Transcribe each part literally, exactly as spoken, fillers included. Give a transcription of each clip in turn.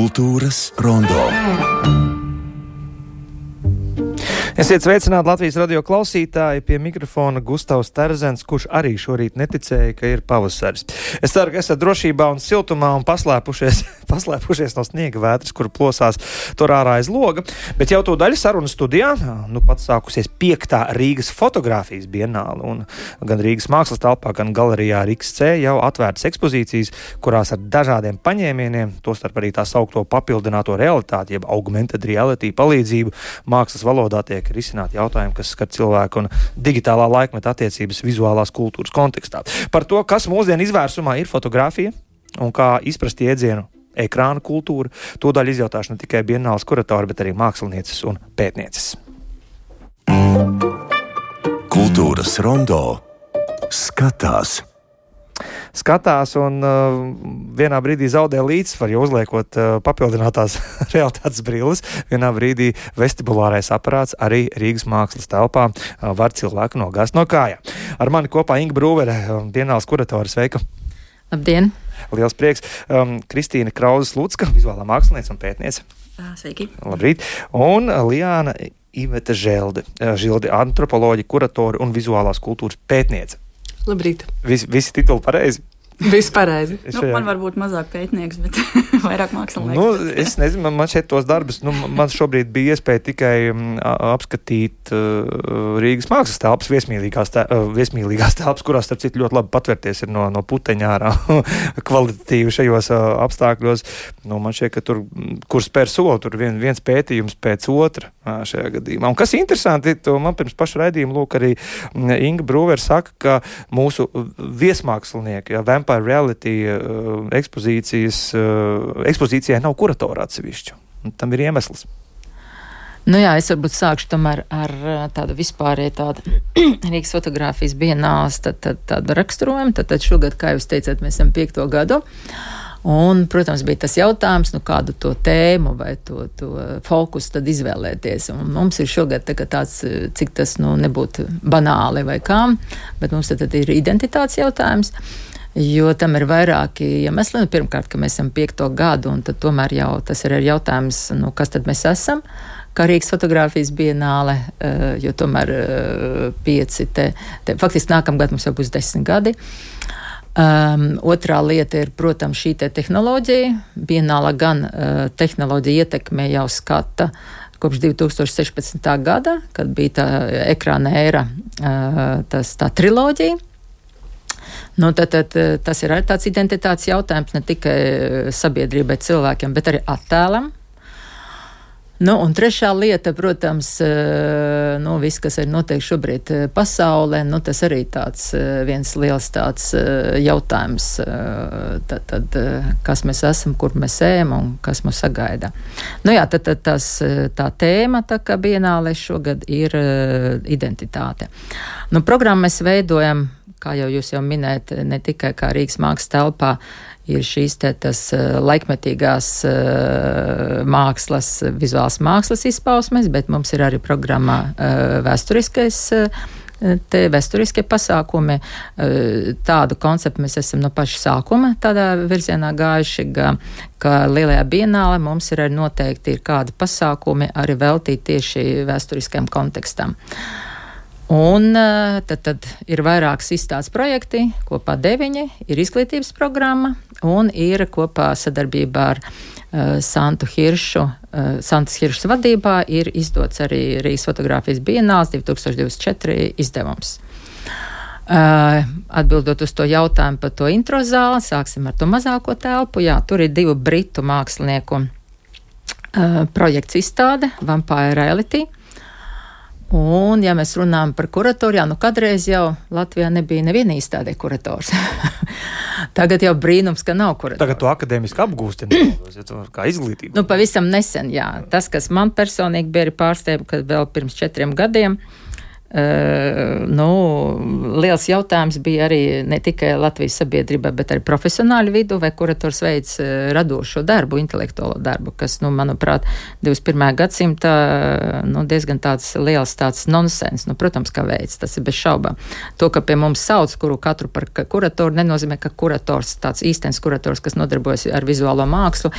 Kultūras rondo. Esiet sveicināti Latvijas radio klausītāji, pie mikrofona Gustavs Terzens, kurš arī šorīt neticēja, ka ir pavasaris. Es ceru, ka esat drošībā un siltumā un paslēpušies, paslēpušies no sniega vētras, kur plosās tur ārā aiz loga. Bet jau to daļu sarunas studijā, nu pat sākusies piektā Rīgas fotogrāfijas bienāle, un gan Rīgas mākslas telpā, gan galerijā R X C jau atvērtas ekspozīcijas, kurās ar dažādiem paņēmieniem, tostarp arī tā saukto papildināto realitāti, jeb augmented reality palīdzību, mākslas valodā tiek risināt jautājumu, kas skar cilvēku un digitālā laikmeta attiecības vizuālās kultūras kontekstā. Par to, kas mūsdienu izvērsumā ir fotografija un kā izprast iedzienu ekrāna kultūra, to daļu izjautāšu ne tikai bienāles kuratori, bet arī mākslinieces un pētnieces. Kultūras rondo skatās. Skatās un uh, vienā brīdī zaudē līdzsvaru, jo uzliekot uh, papildinātās realitātes brilles, vienā brīdī vestibulārais aparāts arī Rīgas mākslas telpā uh, var cilvēku nogāzt no kājām. Ar mani kopā Inga Brūvere, um, bienāles kuratora, sveika! Labdien! Liels prieks! Um, Kristīna Krauzes-Lucka, vizuālā mākslinieca un pētniece. Sveiki! Labrīt! Un Liāna Iveta Želde, Žildi, antropoloģi, kuratori un vizuālās kultūras pētniece. Labrīt. Vis, visi tituli pareizi? Viss pareizi. Nu, man varbūt mazāk pētnieks, bet vairāk mākslinieks. Nu, es nezinu, man, man šeit tos darbus, nu, man šobrīd bija iespēja tikai um, apskatīt uh, Rīgas mākslas telpas, viesmīlīgās, te, uh, viesmīlīgās telpas, kurās, starp citu, ļoti labi patvērties ir no, no puteņā ārā kvalitatīvi šajos uh, apstākļos. Nu, man šķiet, ka tur, kur spēr soli, tur vien, viens pētījums pēc otra uh, šajā gadījumā. Un kas interesanti, to man pirms paša raidījuma, lūk, arī Inga Brūvere saka, ka mūsu viesmākslinieki, ja, Vampire Reality uh, ekspozīcijas, uh, ekspozīcijai nav kuratora atsevišķu. Tam ir iemesls. Nu jā, es varbūt sākšu tomēr ar tādu vispārēju tādu Rīgas fotogrāfijas bienāles tad, tad, tādu raksturojumu. Tad, tad šogad, kā jūs teicāt, mēs esam piekto gadu. Un, protams, bija tas jautājums, nu kādu to tēmu vai to, to fokusu tad izvēlēties. Un mums ir šogad tā, tāds, cik tas nu, nebūtu banāli vai kā, bet mums tad, tad ir identitātes jautājums. Jo tam ir vairāki iemesli. Nu, pirmkārt, ka mēs esam piekto gadu, un tad tomēr jau tas ir jautājums, nu, kas tad mēs esam, kā Rīgas fotogrāfijas bienāle, jo tomēr pieci te, te faktiski nākamgad mums jau būs desmit gadi. Um, otrā lieta ir, protams, šī te tehnoloģija. Bienāla gan uh, tehnoloģija ietekmē jau skata kopš divi tūkstoši sešpadsmitā gada, kad bija tā ekrāna ēra, uh, tas, tā triloģija. Nu, tad, tad, tas ir arī tāds identitātes jautājums ne tikai sabiedrībai, cilvēkiem, bet arī attēlam. Nu, un trešā lieta, protams, nu, viss, kas ir notiek šobrīd pasaulē, nu, tas arī tāds viens liels tāds jautājums, tad, tad, kas mēs esam, kur mēs ejam un kas mūs sagaida. Nu jā, tad, tad tas, tā tēma, tā kā bienālē šogad ir identitāte. Nu, programmu mēs veidojam, kā jau jūs jau minējat, ne tikai kā Rīgas mākslas telpā ir šīs te tas laikmetīgās mākslas, vizuāls mākslas izpausmes, bet mums ir arī programmā vēsturiskais, te vēsturiskie pasākumi. Tādu konceptu mēs esam no paša sākuma tādā virzienā gājuši, ka lielajā bienālē mums ir arī noteikti ir kādi pasākumi arī veltīti tieši vēsturiskajam kontekstam. Un tad, tad ir vairākas izstādes projekti, kopā deviņi, ir izglītības programma un ir kopā sadarbībā ar uh, Santu Hiršu, uh, Santas Hiršas vadībā ir izdots arī Rīgas fotogrāfijas bienāles divi tūkstoši divdesmit četri izdevums. Uh, atbildot uz to jautājumu par to intro zāli, sāksim ar to mazāko telpu. Jā, tur ir divu britu mākslinieku uh, projekts izstāde, Vampire Reality. Un, ja mēs runājam par kuratoru, jā, nu kādreiz jau Latvijā nebija neviena izstādē kurators. Tagad jau brīnums, ka nav kurators. Tagad to akadēmiski apgūst, kā izglītība. Nu, pavisam nesen, jā. Tas, kas man personīgi bija pārsteigums, kad vēl pirms četriem gadiem Uh, nu, liels jautājums bija arī ne tikai Latvijas sabiedrībā, bet arī profesionāļu vidu, vai kurators veids uh, radošo darbu, intelektuālo darbu, kas, nu, manuprāt, divdesmit pirmajā gadsimtā nu, diezgan tāds liels tāds nonsens. Nu, protams, ka veids, tas ir bez šaubām. To, ka pie mums sauc, kuru katru par kuratoru, nenozīmē, ka kurators, tāds īstenis kurators, kas nodarbojas ar vizuālo mākslu,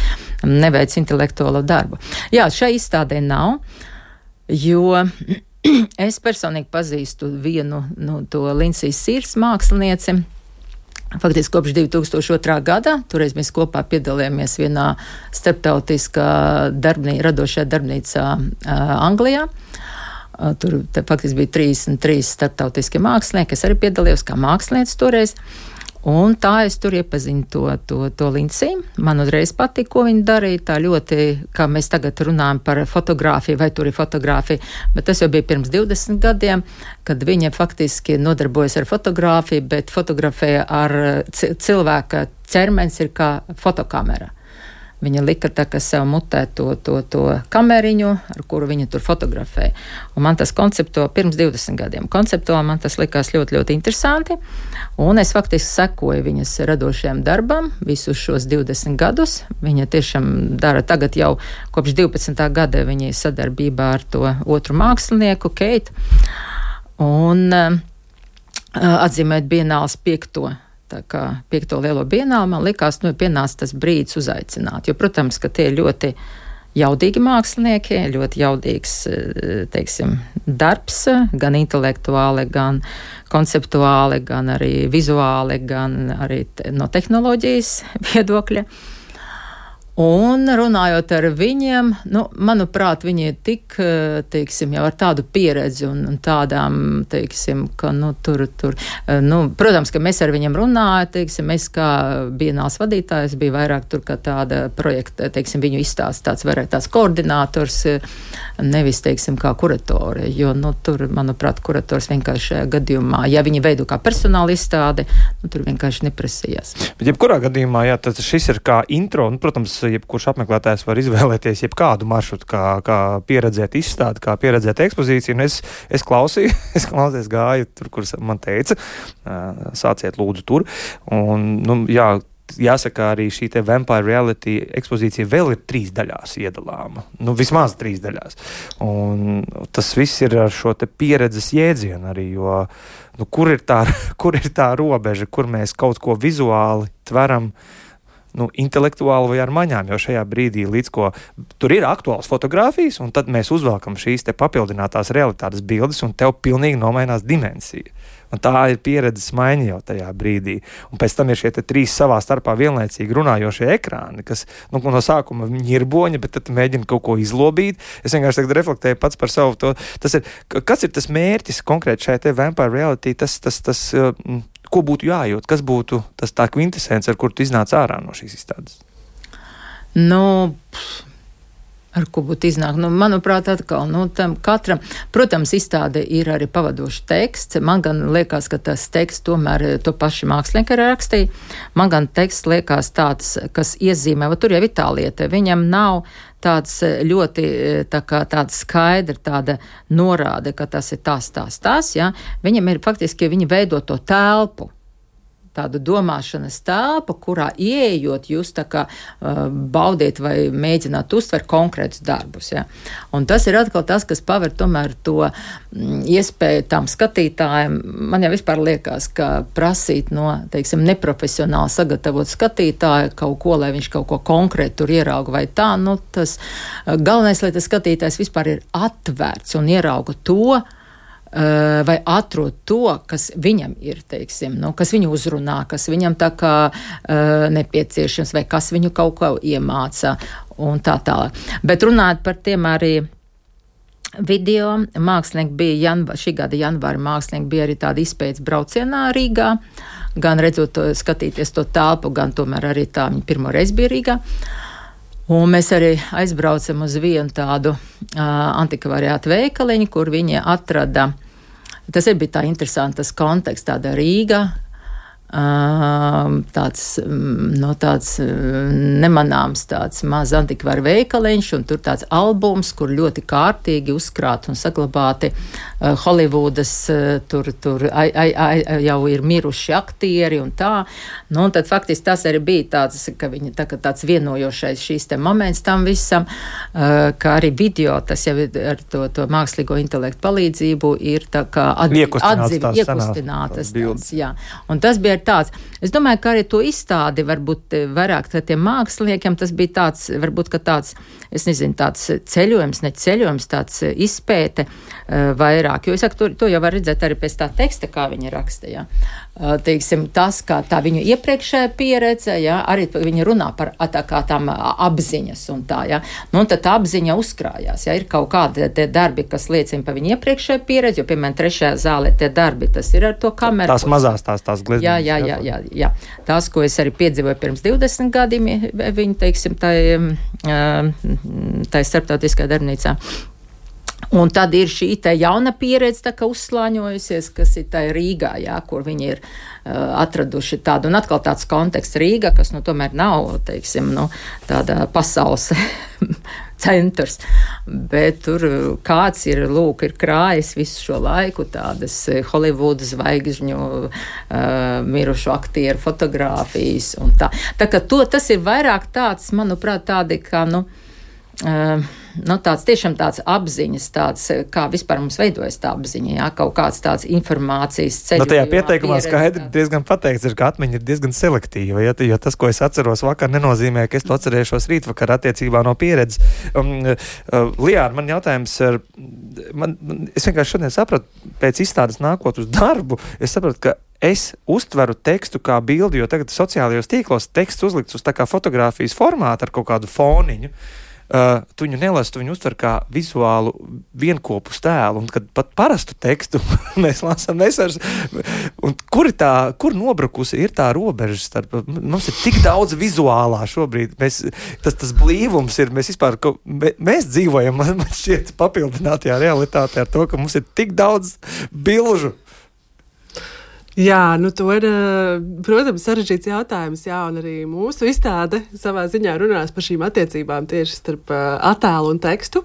neveic intelektuālo darbu. Jā, šai izstādē nav, jo es personīgi pazīstu vienu no to Lincijas Sīrs mākslinieci. Faktiski kopš divi tūkstoši otrā gada, toreiz mēs kopā piedalījāmies vienā starptautiskā darbnī, radošajā darbnīcā uh, Anglijā. Uh, tur te, faktiski bija trīsdesmit trīs starptautiskie mākslinieki, es arī piedalījos kā mākslinieci toreiz. Un tā es tur iepazinu to, to, to Linciju. Man uzreiz patīk, ko viņa darīja. Tā ļoti, kā mēs tagad runājam par fotogrāfiju, vai tur ir fotogrāfija, bet tas jau bija pirms divdesmit gadiem, kad viņa faktiski nodarbojas ar fotogrāfiju, bet fotografēja ar cilvēka ķermenis ir kā fotokamera. Viņa lika tā, ka sev mutē to, to, to kameriņu, ar kuru viņa tur fotografēja. Un man tas konceptuāli, pirms divdesmit gadiem, konceptuāli man tas likās ļoti, ļoti interesanti. Un es faktiski sekoju viņas radošajam darbam visus šos divdesmit gadus. Viņa tiešām dara tagad jau kopš divpadsmitā gada viņa ir sadarbībā ar to otru mākslinieku, Keitu. Un uh, atzīmēt Bienāles piekto. Tā kā piekto lielo bienāli, man likās, nu, pienāca tas brīdis uzaicināt. Jo, protams, ka tie ir ļoti jaudīgi mākslinieki, ļoti jaudīgs, teiksim, darbs, gan intelektuāli, gan konceptuāli, gan arī vizuāli, gan arī te, no tehnoloģijas viedokļa. Un runājot ar viņiem, nu, manuprāt, viņi ir tik, teiksim, jau ar tādu pieredzi un, un tādām, teiksim, ka, nu, tur, tur, nu, protams, ka mēs ar viņiem runājam, teiksim, es kā Bienāles vadītājs biju vairāk tur kā tāda projekta, teiksim, viņu izstāsts tāds vairāk tāds koordinators, nevis, teiksim, kā kuratori, jo, nu, tur, manuprāt, kurators vienkārši šajā gadījumā, ja viņi veido kā personāla izstādi, nu, tur vienkārši neprasījās. Bet jebkurā gadījumā, jā, tad šis ir kā intro, un, protams, jebkurš apmeklētājs var izvēlēties jebkādu maršrutu, kā, kā pieredzēt izstādi, kā pieredzēt ekspozīciju, un es, es klausīju, es klausījos gāju tur, kur man teica, sāciet lūdzu tur, un, nu, jā, jāsaka, arī šī te Vampire Reality ekspozīcija vēl ir trīs daļās iedalāma, nu, vismaz trīs daļās, un tas viss ir ar šo te pieredzes jēdzienu arī, jo, nu, kur ir tā, kur ir tā robeža, kur mēs kaut ko vizuāli tveram, nu, intelektuāli vai ar maņām, jo šajā brīdī līdz ko tur ir aktuāls fotogrāfijas, un tad mēs uzvelkam šīs te papildinātās realitātes bildes, un tev pilnīgi nomainās dimensija. Un tā ir pieredzes maiņa jau tajā brīdī. Un pēc tam ir šie te trīs savā starpā vienlaicīgi runājošie ekrāni, kas, nu, no sākuma ņirboņa, bet tad mēģina kaut ko izlobīt. Es vienkārši tagad reflektēju pats par savu to. Tas ir, kas ir tas mērķis konkrēti šai te Vampire Reality, tas, tas, tas, uh, ko būtu jājūt, kas būtu tas tā kvintesence, ar kur tu iznāc ārā no šīs izstādes? Nu, ar ko būtu iznāk? Nu, manuprāt, atkal, nu, tam katram, protams, izstāde ir arī pavadošs teksts. Man gan liekas, ka tas teksts tomēr to paši mākslinieki arī rakstīja. Man gan teksts liekas tāds, kas iezīmē, va tur jau ir tā lieta, viņam nav tāds ļoti tā kā tāda skaidra tāda norāde, ka tas ir tas, tas, tas, ja. Viņam ir faktiski, viņi veido to telpu, tādu domāšanas telpu, kurā ieejot jūs tā kā uh, baudiet vai mēģināt uztvert konkrētus darbus, ja. Un tas ir atkal tas, kas paver tomēr to mm, iespēju tām skatītājiem. Man jau vispār liekas, ka prasīt no, teiksim, neprofesionāli sagatavot skatītāju kaut ko, lai viņš kaut ko konkrēti tur ierauga vai tā, nu tas uh, galvenais, lai tas skatītājs vispār ir atvērts un ierauga to, vai atrod to, kas viņam ir, teiksim, nu, kas viņu uzrunā, kas viņam tā kā uh, nepieciešams, vai kas viņu kaut ko iemāca un tā tālāk. Bet runājot par tiem arī video, mākslinieki bija, janva, šī gada janvāra mākslinieki bija arī tādi izpētes braucienā Rīgā, gan redzot, to, skatīties to telpu, gan tomēr arī tā viņi pirmo reizi bija Rīgā. Un mēs arī aizbraucam uz vienu tādu uh, antikvariātu veikaliņu, kur viņi atrada, tas ir bija tā interesantas konteksts, tāda Rīga, uh, tāds, no tāds nemanāms tāds maz antikvāru veikaliņš, un tur tāds albums, kur ļoti kārtīgi uzkrāt un saglabāti uh, Holivudas, uh, tur, tur ai, ai, ai, jau ir miruši aktieri un tā. Nu, un tad faktiski tas arī bija tāds, ka viņi tā, tāds vienojošais šīs te moments tam visam, uh, kā arī video, tas jau ar to, to mākslīgo intelektu palīdzību ir tā kā atdzīvi, iekustinātas. Tāds, jā. Un tas bija ir tāds. Es domāju, ka arī to izstādi varbūt vairāk tiem māksliniekiem tas bija tāds, varbūt, ka tāds, es nezinu, tāds ceļojums, ne ceļojums, tāds izpēte uh, vairāk. Jo es saku, to, to jau var redzēt arī pēc tā teksta, kā viņa raksta, jā. Uh, teiksim, tas, kā tā viņa iepriekšējā pieredze, jā, arī viņa runā par tā kā tām apziņas un tā, jā. Nu, un tad tā apziņa uzkrājās, jā. Ir kaut kādi tie darbi, kas liecina par viņa iepriekšējā pieredzi, jo, piemēram, trešajā zālē tie darbi, tas ir ar to kameru. Tās mazās, tās, tās glezniņas. Jā, jā, jā, jā, jā. Tās, ko es arī piedzīvoju pirms divdesmit gadiem, viņa, teiksim, tai, tai starptautiskā darbnīcā. Un tad ir šī tā jauna pieredze, tā kā uzslāņojusies, kas ir tā Rīgā, jā, kur viņi ir uh, atraduši tādu, un atkal tāds konteksts Rīga, kas, nu, tomēr nav, teiksim, nu, tāda pasaules centrs, bet tur kāds ir, lūk, ir krājis visu šo laiku tādas Holivuda zvaigžņu, uh, mirušu aktieru fotogrāfijas un tā. Tā kā to, tas ir vairāk tāds, manuprāt, tādi, kā, nu, uh, nu, tāds tiešām tāds apziņas, tāds, kā vispār mums veidojas tā apziņa, jā, kaut kāds tāds informācijas ceļojumā. Nu, tajā pieteikumā skaidri diezgan pateikts, ir, ka atmiņa ir diezgan selektīva, ja, jo tas, ko es atceros vakar, nenozīmē, ka es to atcerēšos rītvakar attiecībā no pieredzes. Um, uh, Lijāna, man jautājums ir, man, es vienkārši šodien sapratu, pēc izstādes nākot uz darbu, es sapratu, ka es uztveru tekstu kā bildi, jo tagad sociālajos tīklos teksts uzlikts uz tā kā fotogrāfijas formātu ar kaut kādu foniņu. Uh, tu viņu nelasu, tu viņu uztver kā vizuālu vienkopus tēlu, un kad pat parastu tekstu mēs lasām, mēs ar, un kur ir tā, kur nobrukusi ir tā robeža starp, mums ir tik daudz vizuālā šobrīd, mēs, tas, tas blīvums ir, mēs vispār, ka, mē, mēs dzīvojam, man šķiet papildinātajā realitātē ar to, ka mums ir tik daudz bilžu. Jā, nu to ir, protams, sarežģīts jautājums, jā, un arī mūsu izstāde savā ziņā runās par šīm attiecībām tieši starp attēlu un tekstu.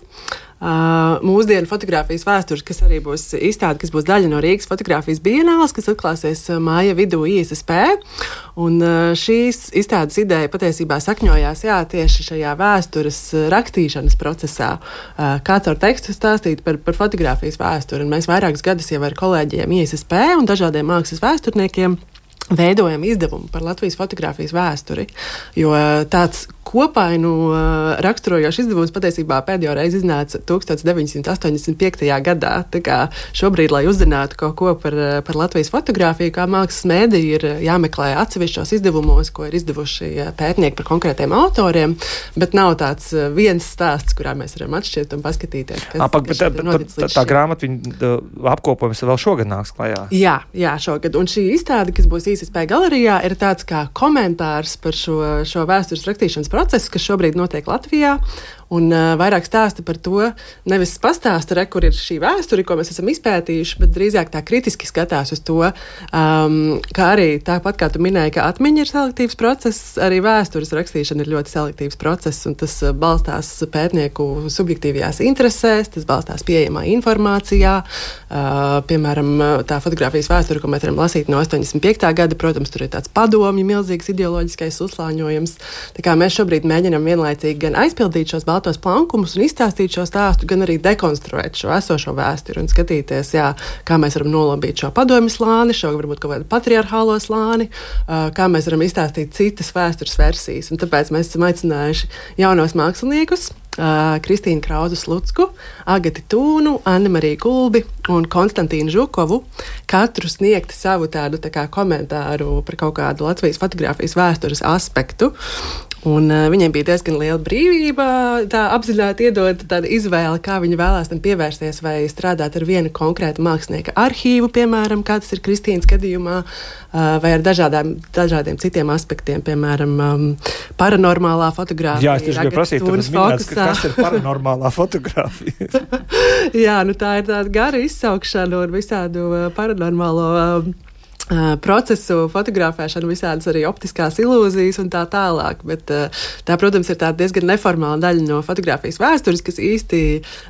Uh, mūsdienu fotogrāfijas vēstures, kas arī būs izstāde, kas būs daļa no Rīgas fotogrāfijas bienāles, kas atklāsies māja vidū I S S P. Un uh, šīs izstādes ideja patiesībā sakņojās, jā, tieši šajā vēstures rakstīšanas procesā. Uh, kāds ar tekstu stāstīt par, par fotogrāfijas vēsturi. Un mēs vairākus gadus jau ar kolēģiem I S S P un dažādiem mākslas vēsturniekiem veidojam izdevumu par Latvijas fotogrāfijas vēsturi, jo tāds kopainu raksturojošs izdevums patiesībā pēdējo reizi iznāca deviņdesmit astoņdesmit piektajā gadā. Tā kā šobrīd, lai uzzinātu kaut ko par, par Latvijas fotogrāfiju, kā mākslas mēdī, ir jāmeklē atsevišķos izdevumos, ko ir izdevuši pētnieki par konkrētiem autoriem, bet nav tāds viens stāsts, kurā mēs varam atšķirt un paskatīties, kas, A, pak, kas tā, ir tā, noticis tā, līdz tā šim. grāmata, viņa apkopojums vēl šogad nāks klajā. Jā, jā, šogad. Un šī izstāde, kas būs I S S P galerijā, ir tāds kā komentārs par šo, šo vēstures rakstīšanas procesu, kas šobrīd notiek Latvijā. Un uh, vairāk stāsta par to, nevis pastāsta, re, kur ir šī vēsture, ko mēs esam izpētījuši, bet drīzāk tā kritiski skatās uz to, um, kā arī tāpat kā tu minēji, ka atmiņa ir selektīvs process, arī vēstures rakstīšana ir ļoti selektīvs process, un tas uh, balstās pētnieku subjektīvajās interesēs, tas balstās pieejamā informācijā. Uh, piemēram, tā fotogrāfijas vēsture, ko mēs varam lasīt no astoņdesmit piektā gada, protams, tur ir tāds padomju, milzīgs ideoloģiskais uzslāņojums. Tā kā mēs šobrīd mēģinam vienlaicīgi gan aizpildīt šos baltos plankumus un izstāstīt šo stāstu, gan arī dekonstruēt šo esošo vēsturi un skatīties, jā, kā mēs varam nolabīt šo padomju slāni, šo varbūt kaut kādu patriarchālo slāni, kā mēs varam izstāstīt citas vēstures versijas. Un tāpēc mēs esam aicinājuši jaunos māksliniekus, Kristīnu Krauzu-Slucku, Agati Tūnu, Annemariju Kulbi un Konstantīnu Žukovu, katru sniegt savu tādu tā kā komentāru par kaut kādu Latvijas fotogrāfijas vēstures aspektu. Un uh, viņiem bija diezgan liela brīvība, tā apzināti iedot tādu izvēli, kā viņi vēlās tam pievērsties, vai strādāt ar vienu konkrētu mākslinieka arhīvu, piemēram, kā tas ir Kristīnas gadījumā, uh, vai ar dažādām, dažādiem citiem aspektiem, piemēram, um, paranormālā fotogrāfija. Jā, es tieši gribēju prasīt, tad minēts, ka kas ir paranormālā fotogrāfija? Jā, nu tā ir tāda gara izsaukšana un visādu uh, paranormālo uh, Uh, procesu fotografēšanu, visādas arī optiskās ilūzijas un tā tālāk, bet uh, tā, protams, ir tāda diezgan neformāla daļa no fotogrāfijas vēstures, kas īsti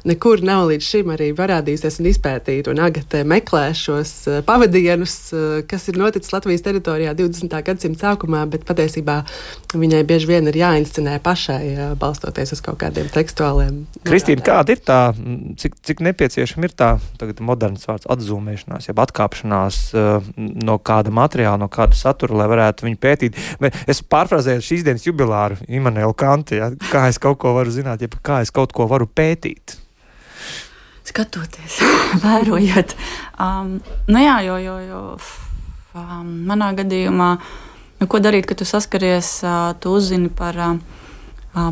nekur nav līdz šim arī parādījusies un izpētīt, un Agate meklē šos uh, pavadienus, uh, kas ir noticis Latvijas teritorijā divdesmitā gadsimta sākumā, bet patiesībā viņai bieži vien ir jāinscenē pašai, uh, balstoties uz kaut kādiem tekstuāliem. Kristīna, kāda ir tā, cik, cik nepieciešama ir tā tagad moderns vārds atzūmēšanās, jeb atkāpšanās uh, no kāda materiāla, no kāda satura, lai varētu viņu pētīt. Es pārfrāzēju šīs dienas jubilāru Immanuelu Kantu, ja, kā es kaut ko varu zināt, ja kā es kaut ko varu pētīt. Skatoties, vērojot. Um, nu jā, jo, jo, jo um, manā gadījumā, nu, ko darīt, kad tu saskaries, uh, tu uzzini par uh,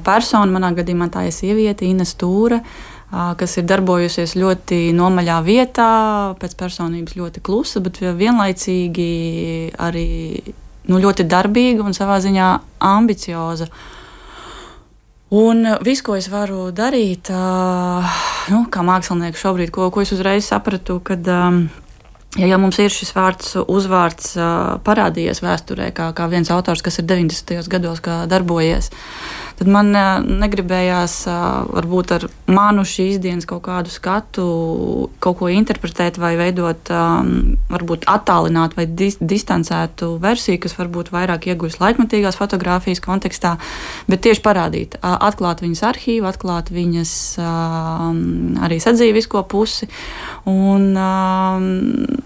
personu, manā gadījumā tā ir sieviete, Ines Stūre, uh, kas ir darbojusies ļoti nomaļā vietā, pēc personības ļoti klusa, bet vienlaicīgi arī nu, ļoti darbīga un savā ziņā ambicioza. Un viss, ko es varu darīt, uh, nu, kā mākslinieks šobrīd, ko, ko es uzreiz sapratu, kad, um, ja jau mums ir šis vārds, uzvārds uh, parādījies vēsturē, kā, kā viens autors, kas ir deviņdesmitajos gados darbojies, tad man uh, negribējās uh, varbūt ar manu šīs dienas kaut kādu skatu, kaut ko interpretēt vai veidot, um, varbūt attālināt vai dis- distancētu versiju, kas varbūt vairāk ieguvis laikmatīgās fotogrāfijas kontekstā, bet tieši parādīt, uh, atklāt viņas arhīvu, atklāt viņas uh, arī sadzīvisko pusi un, um,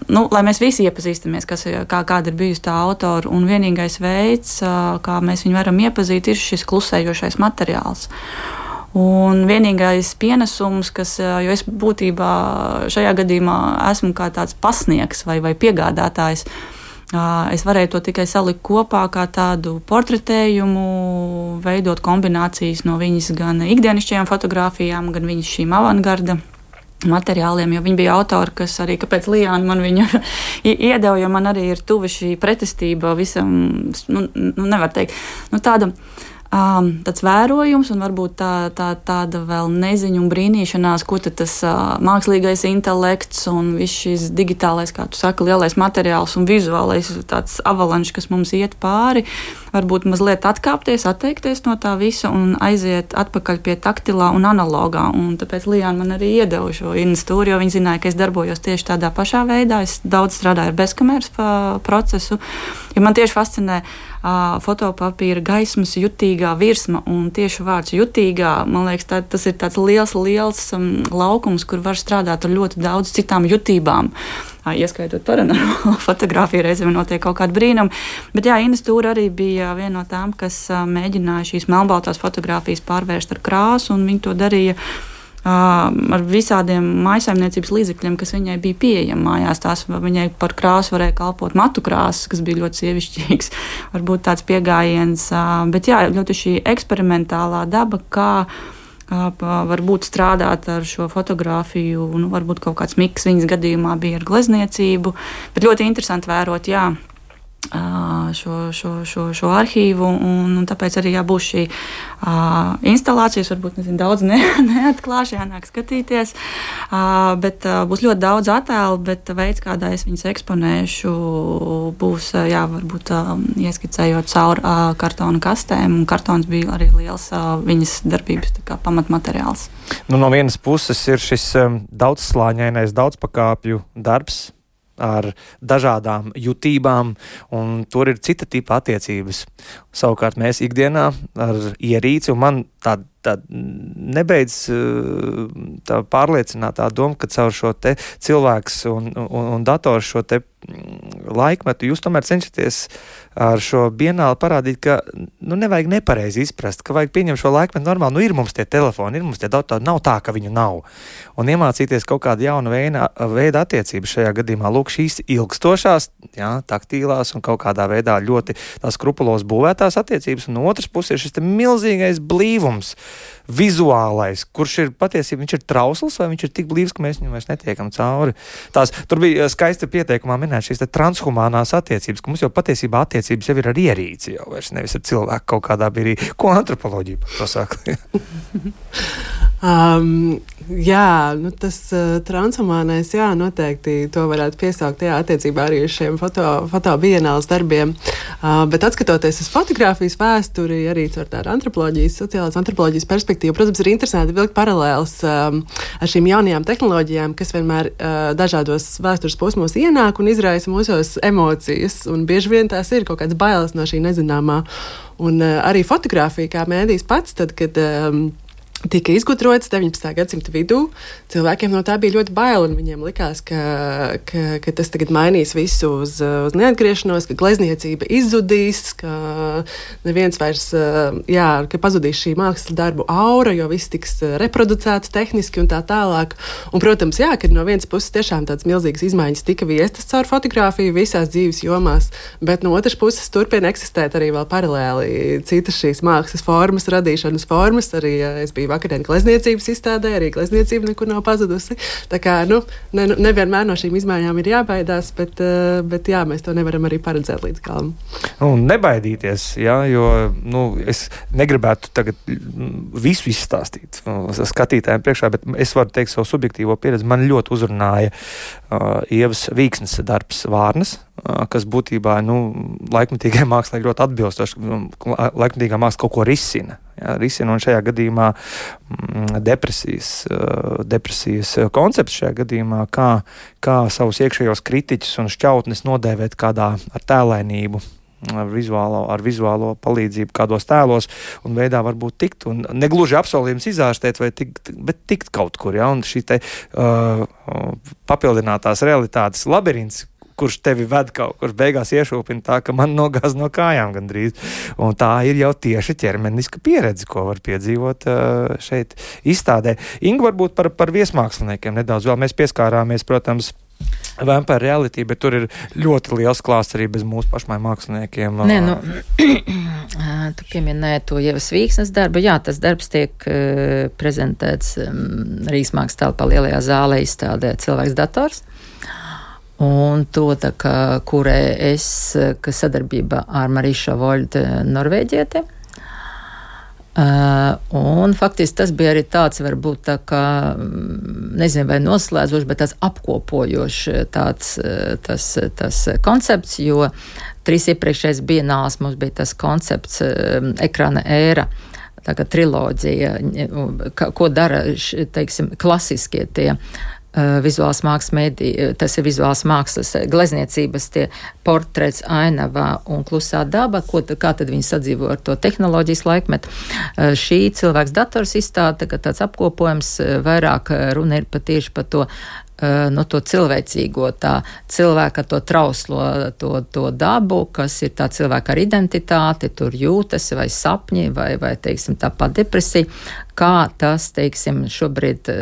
nu, lai mēs visi iepazīstamies, kas, kā, kāda ir bijusi tā autora, un vienīgais veids, uh, kā mēs viņu varam iepazīt, ir šis klusējošais materiāls. Un vienīgais pienesums, kas, jo es būtībā šajā gadījumā esmu kā tāds pasniegs vai, vai piegādātājs, es varēju to tikai salikt kopā kā tādu portretējumu, veidot kombinācijas no viņas gan ikdienišķajām fotogrāfijām, gan viņas šīm avangarda materiāliem, jo viņa bija autori, kas arī, kāpēc Lijāna man viņu iedeva, jo man arī ir tuva šī pretestība visam, nu, nu nevar teikt, nu tāda, Um, tāds vērojums un varbūt tā, tā, tāda vēl neziņa un brīnīšanās, ko tad tas uh, mākslīgais intelekts un viss šis digitālais, kā tu saki, lielais materiāls un vizuālais tāds avalanš, kas mums iet pāri, varbūt mazliet atkāpties, atteikties no tā visa un aiziet atpakaļ pie taktilā un analogā. Un tāpēc Lijāna man arī iedeva šo Ines Stūri, jo viņa zināja, ka es darbojos tieši tādā pašā veidā. Es daudz strādāju ar bezkameras procesu, jo man tieši fascinē uh, fotopapīra gaismas jutīgā virsma, un tieši vārds jutīgā, man liekas, tā, tas ir tāds liels, liels um, laukums, kur var strādāt ar ļoti daudz citām jutībām. Uh, ieskaitot paranormālo fotogrāfiju, reizēm notiek kaut kāda brīnuma. Bet jā, Ines Stūre arī bija viena no tām, kas uh, mēģināja šīs melnbaltās fotogrāfijas pārvērst ar krāsu, un viņi to darīja ar visādiem mājsaimniecības līdzekļiem, kas viņai bija pieejami mājās. Tās viņai par krāsu varēja kalpot matu krāsas, kas bija ļoti sievišķīgs, varbūt tāds piegājiens. Bet jā, ļoti šī eksperimentālā daba, kā varbūt strādāt ar šo fotogrāfiju, nu, varbūt kaut kāds miks viņas gadījumā bija ar glezniecību, bet ļoti interesanti vērot, jā, Šo, šo, šo, šo arhīvu, un, un tāpēc arī jābūs šī uh, instalācijas, varbūt nezinu, daudz ne, neatklāšu, jānāk skatīties, uh, bet uh, būs ļoti daudz attēlu, bet veids, kādā es viņas eksponēšu, būs, uh, jā, varbūt uh, ieskicējot caur uh, kartona kastēm, un kartons bija arī liels uh, viņas darbības tā kā pamatmateriāls. Nu, no vienas puses ir šis um, daudzslāņainais, daudzpakāpju darbs, ar dažādām jutībām, un tur ir cita tipa attiecības. Savukārt mēs ikdienā ar ierīci, un man tā, tā nebeidz tā pārliecinātā doma, ka caur šo te cilvēks un, un, un dators šo te laikmetu jūs tomēr cenšaties ar šo bienāli parādīt, ka nu, nevajag nepareizi izprast, ka vajag pieņemt šo laikmetu normāli. Nu, ir mums tie telefoni, ir mums tie datori, nav tā, ka viņu nav. Un iemācīties kaut kādu jaunu veida, veida attiecības šajā gadījumā. Lūk, šīs ilgstošās, jā, taktīlās un kaut kādā veidā ļoti tās skrupulos būvētās attiecības. Un otrs puses ir šis te milzīgais blīvums, vizuālais, kurš ir patiesībā, viņš ir trausls vai viņš ir tik blīvs, ka mēs viņam vairs netiekam cauri. Tās, tur bija skaisti pieteikumā minēt šīs te transhumānās attiecības, ka mums jau patiesībā attiecības jau ir ar ierīci, jau vairs nevis ar cilvēku kaut kādā brīdī. Ko antropoloģija par to saka? um, jā, nu tas uh, transhumānais, jā, noteikti to varētu piesaukt, jā, attiecībā arī uz šiem foto, foto bienāles darbiem. Uh, bet atskatoties uz fotogrāfijas vēsturi, arī caur tādu antropoloģijas, sociālās antropoloģijas perspektīvu, protams, ir interesanti vilkt paralēles um, ar šīm jaunajām tehnoloģijām, kas vienmēr uh, dažādos vēstures posmos ienāk un izraisa mūsos emocijas, un bieži vien tās ir kaut kāds bailes no šī nezināmā. Un uh, arī fotogrāfija kā mēdījis pats, tad, kad um, tika izgudrots deviņpadsmitā gadsimta vidū. Cilvēkiem no tā bija ļoti bail, un viņiem likās, ka, ka, ka tas tagad mainīs visu uz, uz neatgriešanos, ka glezniecība izzudīs, ka neviens vairs, jā, ka pazudīs šī mākslas darbu aura, jo viss tiks reproducēts tehniski un tā tālāk. Un, protams, jā, ka no vienas puses tiešām tādas milzīgas izmaiņas tika viestas caur fotografiju visās dzīves jomās, bet no otras puses turpina eksistēt arī vēl paralēli citas šīs mākslas formas, radīšanas formas, arī es biju vakardienu glezniecības izstādē, arī glezniecība nekur nav pazudusi. Tā kā, nu, ne, nevienmēr no šīm izmaiņām ir jābaidās, bet, bet jā, mēs to nevaram arī paredzēt līdz galam. Un nebaidīties, jā, jo, nu, es negribētu tagad visu izstāstīt skatītājiem priekšā, bet es varu teikt savu subjektīvo pieredzi. Man ļoti uzrunāja uh, Ievas Vīksnes darbs Vārnas, uh, kas būtībā, nu, laikmetīgai mākslai ļoti atbilstoši. Laikmetīgā māksla kaut ko risina. Jā, risina, un šajā gadījumā mm, depresijas, uh, depresijas koncepts šajā gadījumā, kā, kā savus iekšējos kritiķus un šķautnes nodēvēt kādā ar tēlainību, ar vizuālo, ar vizuālo palīdzību kādos tēlos un veidā varbūt tikt, un negluži apsolījums izārstēt, vai tikt, bet tikt kaut kur, jā, un šī te uh, papildinātās realitātes labirints, kurš tevi ved kaut kur, beigās iešūpina tā, ka man nogāz no kājām gandrīz. Un tā ir jau tieši ķermeniska pieredze, ko var piedzīvot uh, šeit izstādē. Inga, varbūt par, par viesmāksliniekiem nedaudz vēl. Mēs pieskārāmies, protams, Vampire Reality, bet tur ir ļoti liels klāsts arī bez mūsu pašmai māksliniekiem. Nē, nu, tu pieminēji to Ievas Vīksnes darbu. Jā, tas darbs tiek uh, prezentēts um, Rīgas mākslas telpā lielajā zālē izstādē Cilvēks dators. Un to, tā kā, kurē es, kas sadarbībā ar Marīšu Voļdu Norvēģieti. Uh, un faktiski tas bija arī tāds, varbūt tā kā, nezinu, vai noslēdzošs, bet tāds apkopojošs tāds, tas, tas koncepts, jo trīs iepriekšējais bienāls mums bija tas koncepts um, ekrāna ēra, tā kā triloģija, ko dara, teiksim, klasiskie tie Uh, vizuāls mākslas mēdī, tas ir vizuāls mākslas glezniecības tie portrets, ainavā un klusā daba, ko, kā tad viņi sadzīvo ar to tehnoloģijas laikmetu. Uh, šī Cilvēks dators izstāde, tā, tāds apkopojums, vairāk runa ir patieši par to, uh, no to cilvēcīgo, tā cilvēka to trauslo, to, to dabu, kas ir tā cilvēka ar identitāti, tur jūtas vai sapņi, vai, vai teiksim, tāpat depresija, kā tas, teiksim, šobrīd uh,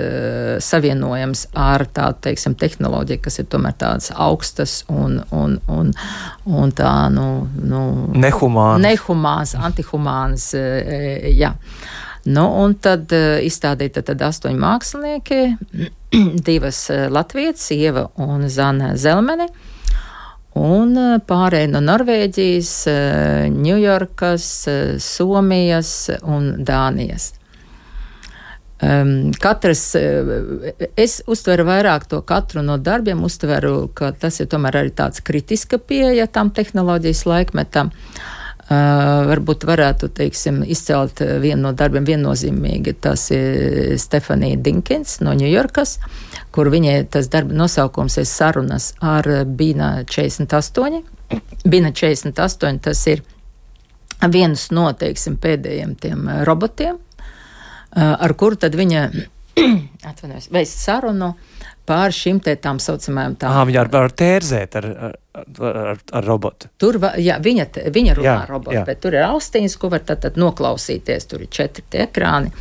savienojams ar tādu, teiksim, tehnoloģiju, kas ir tomēr tādas augstas un, un, un, un tā, nu, nu nehumānas, nehumānas, antihumānas, uh, jā. Nu, un tad uh, izstādīta tad astoņi mākslinieki, divas uh, latvietes, Ieva un Zana Zelmene, un uh, pārējie no Norvēģijas, uh, Ņujorkas, uh, Somijas un Dānijas. Um, katrs, es uztveru vairāk to katru no darbiem, uztveru, ka tas ir tomēr arī tāds kritiska pieeja tam tehnoloģijas laikmetam. Uh, varbūt varētu, teiksim, izcelt vienu no darbiem viennozīmīgi, tas ir Stefanija Dinkins no Ņujorkas, kur viņai tas darba nosaukums ir sarunas ar Bina četrdesmit astoņi. Bina četrdesmit astoņi, tas ir viens no, teiksim, pēdējiem tiem robotiem, ar kuru tad viņa atvainojas, veist sarunu pār šim te tām saucamajām tām. Ā, viņa ar, ar tērzēt ar, ar, ar, ar robotu. Tur, jā, viņa, viņa runā jā, robotu, jā. Bet tur ir austiņas, ko var tad, tad noklausīties, tur ir četri tie ekrāni.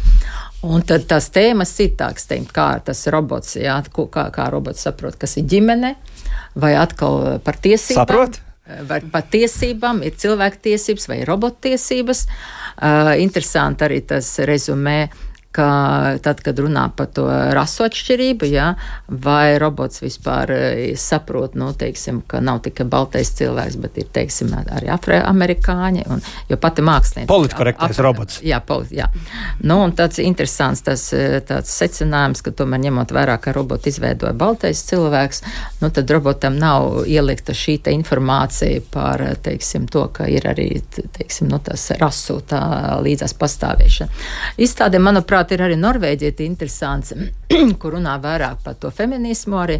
Un tad tās tēmas citāks, teikt, kā tas robots, jā, kā, kā robots saprot, kas ir ģimene, vai atkal par tiesībām. Saprot? Vai par tiesībām, ir cilvēku tiesības vai robotu tiesības. Uh, interesanti arī tas rezumē, ka tad, kad runā par to rasu atšķirību, jā, vai robots vispār saprot, nu, teiksim, ka nav tikai baltais cilvēks, bet ir, teiksim, arī afroamerikāņi, un, jo pati mākslinieci. Politkorektais robots. Jā, politi, jā. Nu, un tāds interesants tas, tāds secinājums, ka tomēr ņemot vērā, ka robotu izveidoja baltais cilvēks, nu, tad robotam nav ielikta šī te informācija par, teiksim, to, ka ir arī, teiksim, nu, tas rasu tā līdzās pastāvēšana. Izstādē, manuprāt, ir arī Norvēģieti interesants, kur runā vairāk par to feminismu arī.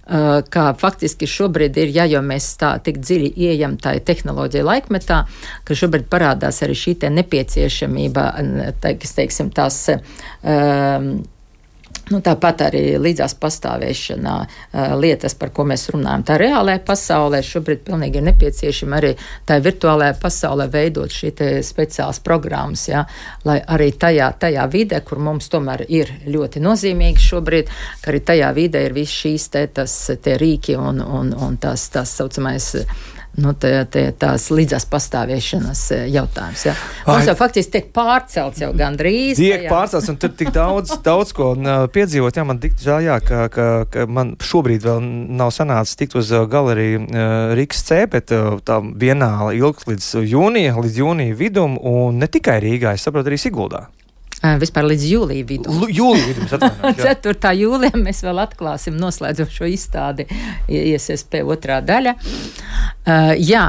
kā faktiski šobrīd ir, ja jau mēs tā tik dziļi ieejam tā tehnoloģija laikmetā, ka šobrīd parādās arī šī te nepieciešamība, teiks, teiksim, tās um, Nu, tāpat arī līdzās pastāvēšanā uh, lietas, par ko mēs runājam, tā reālajā pasaulē šobrīd pilnīgi ir nepieciešama arī tā virtuālajā pasaulē veidot šī te speciālas programmas, ja, lai arī tajā, tajā vidē, kur mums tomēr ir ļoti nozīmīgi šobrīd, ka arī tajā vidē ir viss šīs te, tas, te rīki un, un, un tās, tās saucamais Nu, te, te, tās līdzās pastāvēšanas jautājums. Ja. Mums jau faktiski tiek pārcelts jau gandrīz. Tiek pārcelts, un tur tik daudz, daudz ko piedzīvot. Jā, man tik žēl, jā, ka, ka, ka man šobrīd vēl nav sanācis tikt uz galeriju Rīgas C, bet tā bienāla ilgs līdz jūnija, līdz jūnija vidum, un ne tikai Rīgā, es saprotu, arī Siguldā. Vispār līdz jūlija vidum. Jūlija vidum, atvainojos. ceturtā jūlijā mēs vēl atklāsim noslēdzošo izstādi I S S P otrā daļa. Uh, jā,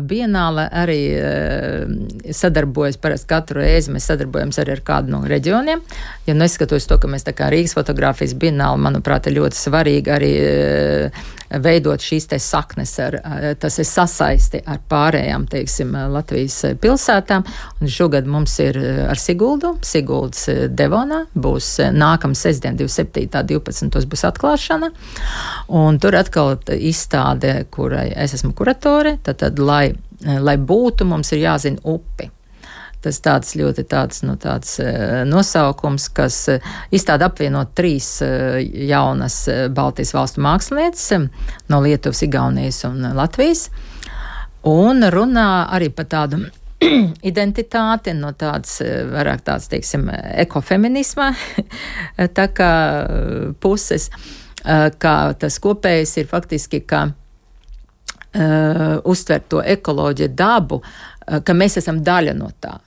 bienāle arī uh, sadarbojas, parasti katru reizi mēs sadarbojamies arī ar kādu no reģioniem. Ja neskatoties to, ka mēs tā kā Rīgas fotogrāfijas bienāle, manuprāt, ir ļoti svarīgi arī uh, veidot šīs te saknes, ar, uh, tas ir sasaisti ar pārējām, teiksim, Latvijas pilsētām. Un šogad mums ir ar Siguldu, Siguldas Devonā, būs nākamā sestdien, divdesmit septītā divpadsmitos būs atklāšana. Un tur atkal izstāde, kurai es esmu kuratore, tad, tad lai, lai būtu, mums ir jāzina upi. Tas tāds ļoti tāds, nu, tāds nosaukums, kas izstāda apvienot trīs jaunas Baltijas valstu mākslinieces no Lietuvas, Igaunijas un Latvijas. Un runā arī par tādu identitāti, no tāds, vairāk tāds, teiksim, ekofeminisma tā kā puses, kā tas kopējs ir faktiski, ka uh, uztvert to ekoloģiju dabu, uh, ka mēs esam daļa no tā.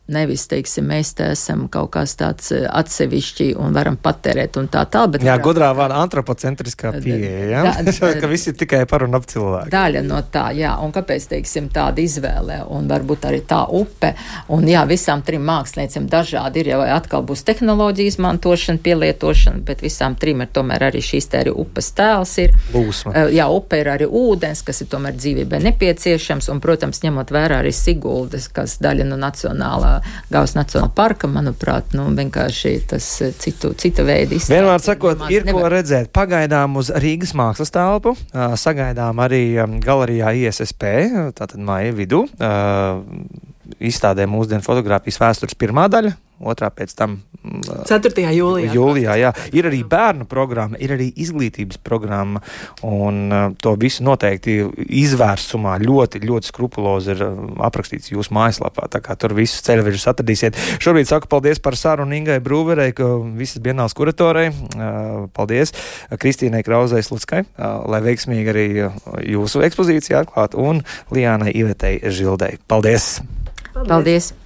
Nevis, teiksim, mēs te esam kaut kāds tāds atsevišķi un varam patērēt un tā tā, bet... Jā, gudrā vārda antropocentriskā pieeja, ja? Da, ka visi ir tikai par un ap cilvēku. Daļa no tā, jā, un kāpēc, teiksim, tāda izvēle, un varbūt arī tā upe, un jā, visām trim māksliniecēm dažādi ir, jau atkal būs tehnoloģija izmantošana, pielietošana, bet visām trim ir tomēr arī šīs te arī upes tēls ir. Būsma. Jā, upe ir arī ūdens, kas ir tomēr dzīvībai nepieciešams, un, protams, ņemot vērā arī Siguldas, kas daļa no nacionālā Gaujas Nacionālā parka, manuprāt, nu, vienkārši tas citu, cita veida izstāde. Vienmēr sakot, ir nevar... ko redzēt. Pagaidām uz Rīgas mākslas telpu, sagaidām arī galerijā I S S P, tātad māja vidū, izstādē mūsdienu fotogrāfijas vēstures pirmā daļa, otrā pēc tam ceturtajā jūlijā. Jūlijā, jā. Ir arī bērnu programma, ir arī izglītības programma, un uh, to visu noteikti izvērsumā ļoti, ļoti skrupulozi ir aprakstīts jūsu mājaslapā, tā kā tur visus ceļvežus atradīsiet. Šobrīd saku paldies par sarunu Ingai Brūverei, ka visas bienāls kuratorei. Uh, paldies Kristīnai Krauzei Sluckai, uh, lai veiksmīgi arī jūsu ekspozīcija atklāt, un Lijānai Ivetei Žildei. Paldies! Paldies! paldies.